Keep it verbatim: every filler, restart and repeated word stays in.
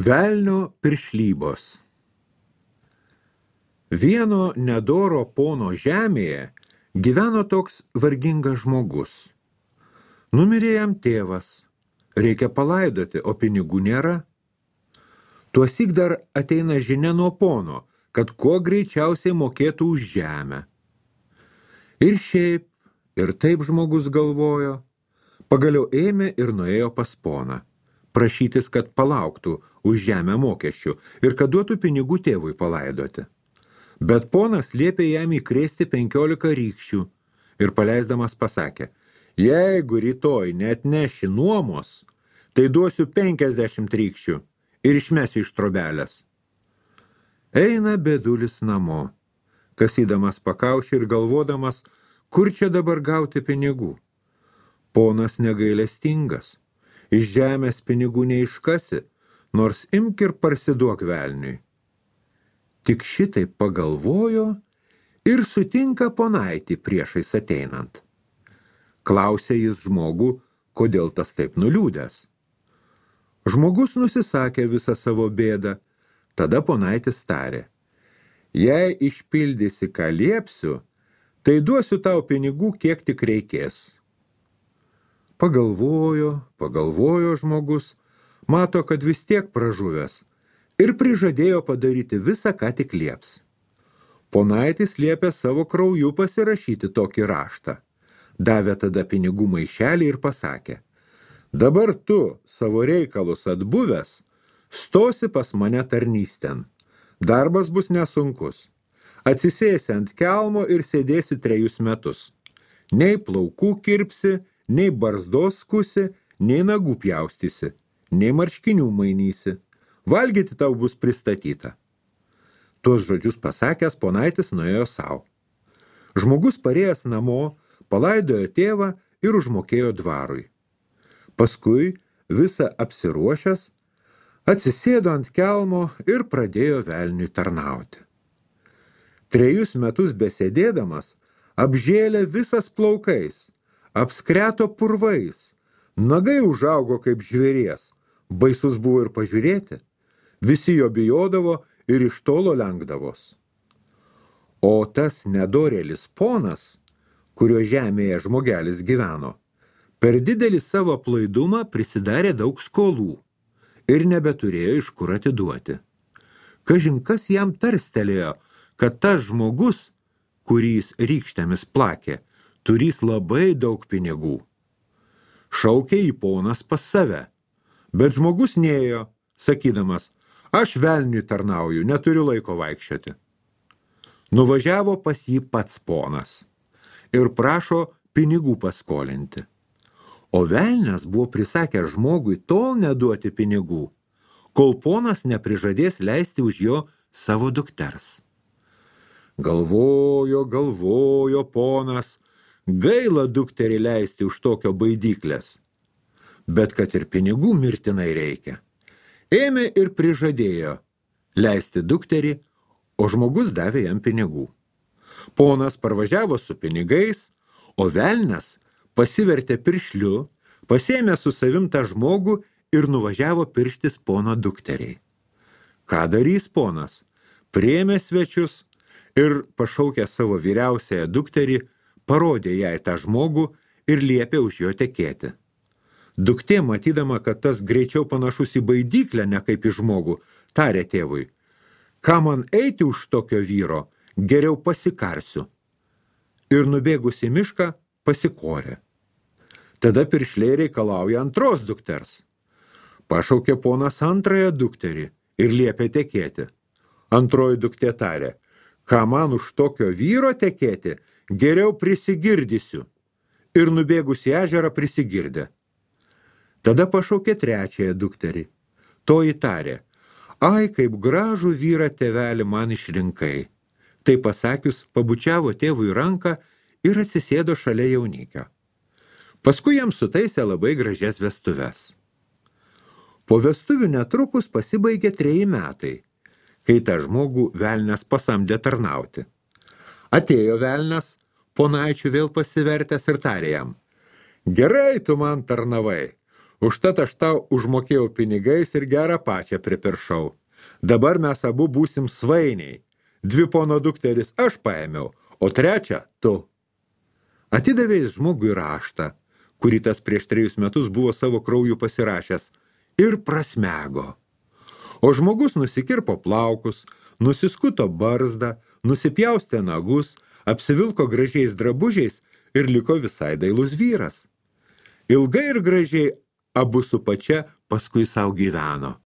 Velnio piršlybos. Vieno nedoro pono žemėje gyveno toks vargingas žmogus. Numirė jam tėvas, reikia palaidoti, o pinigų nėra. Tuosyk dar ateina žinia nuo pono, kad kuo greičiausiai mokėtų už žemę. Ir šiaip, ir taip žmogus galvojo, pagaliau ėmė ir nuėjo pas poną, prašytis, kad palauktų už žemę mokesčių ir kad duotų pinigų tėvui palaidoti. Bet ponas liepė jam įkrėsti penkiolika rykščių ir paleisdamas pasakė, jeigu rytoj neatneši nuomos, tai duosiu penkiasdešimt rykščių ir išmesiu iš trobelės. Eina bedulis namo, kasydamas pakaušį ir galvodamas, kur čia dabar gauti pinigų. Ponas negailestingas, iš žemės pinigų neiškasi, nors imk ir parsiduok velniui. Tik šitai pagalvojo ir sutinka ponaitį priešais ateinant. Klausė jis žmogų, kodėl tas taip nuliūdęs. Žmogus nusisakė visą savo bėdą, tada ponaitis tarė, jei išpildysi, ką liepsiu, tai duosiu tau pinigų, kiek tik reikės. Pagalvojo, pagalvojo žmogus, mato, kad vis tiek pražuvęs ir prižadėjo padaryti visą, ką tik lieps. Ponaitis liepė savo krauju pasirašyti tokį raštą. Davė tada pinigų maišelį ir pasakė, dabar tu, savo reikalus atbuvęs, stosi pas mane tarnystėn. Darbas bus nesunkus. Atsisėsi ant kelmo ir sėdėsi trejus metus. Nei plaukų kirpsi, nei barzdos skusi, nei nagų pjaustysi, nei marškinių mainysi. Valgyti tau bus pristatyta. Tuos žodžius pasakęs, ponaitis nuėjo savo. Žmogus parėjęs namo, palaidojo tėvą ir užmokėjo dvarui. Paskui, visą apsiruošęs, atsisėdo ant kelmo ir pradėjo velniui tarnauti. Trejus metus besėdėdamas, apžėlė visas plaukais, apskreto purvais, nagai užaugo kaip žvėries, baisus buvo ir pažiūrėti, visi jo bijodavo ir iš tolo lenkdavos. O tas nedorėlis ponas, kurio žemėje žmogelis gyveno, per didelį savo aplaidumą prisidarė daug skolų ir nebeturėjo iš kur atiduoti. Kažin kas jam tarstelėjo, kad tas žmogus, kurys rykštėmis plakė, turys labai daug pinigų. Šaukė į ponas pas save, bet žmogus nėjo, sakydamas, aš velniui tarnauju, neturiu laiko vaikščioti. Nuvažiavo pas jį pats ponas ir prašo pinigų paskolinti. O velnias buvo prisakęs žmogui tol neduoti pinigų, kol ponas neprižadės leisti už jo savo dukters. Galvojo, galvojo ponas, gaila dukterį leisti už tokio baidyklės, bet kad ir pinigų mirtinai reikia. Ėmė ir prižadėjo leisti dukterį, o žmogus davė jam pinigų. Ponas parvažiavo su pinigais, o velnias pasivertė piršliu, pasėmė su savim tą žmogų ir nuvažiavo pirštis pono dukteriai. Ką darys ponas? Priėmė svečius ir pašaukė savo vyriausiąją dukterį, parodė jai tą žmogų ir liepė už jo tekėti. Duktė, matydama, kad tas greičiau panašus į baidyklę, ne kaip į žmogų, tarė tėvui, ką man eiti už tokio vyro, geriau pasikarsiu. Ir nubėgus į mišką, pasikorė. Tada piršliai reikalauja antros dukters. Pašaukė ponas antrąją dukterį ir liepė tekėti. Antroji duktė tarė, ką man už tokio vyro tekėti, geriau prisigirdysiu. Ir nubėgus į ežerą prisigirdė. Tada pašaukė trečiąją dukterį. Toji tarė, ai, kaip gražų vyrą tėvelį man išrinkai. Tai pasakius, pabučiavo tėvui ranką ir atsisėdo šalia jaunikio. Paskui jam sutaisė labai gražias vestuves. Po vestuvių netrukus pasibaigė treji metai, kai tą žmogų velnias pasamdė tarnauti. Atėjo velnias, ponaičių vėl pasivertęs ir tarė jam, gerai tu man tarnavai, Užtat aš tau užmokėjau pinigais ir gerą pačią pripiršau. Dabar mes abu būsim svainiai. Dvi pono dukteris aš paėmiau, o trečią tu. Atidavė jis žmogui raštą, kurį tas prieš trejus metus buvo savo krauju pasirašęs, ir prasmego. O žmogus nusikirpo plaukus, nusiskuto barzdą, nusipjaustė nagus, apsivilko gražiais drabužiais ir liko visai dailus vyras. Ilgai ir gražiai abu su pačia paskui sau gyveno.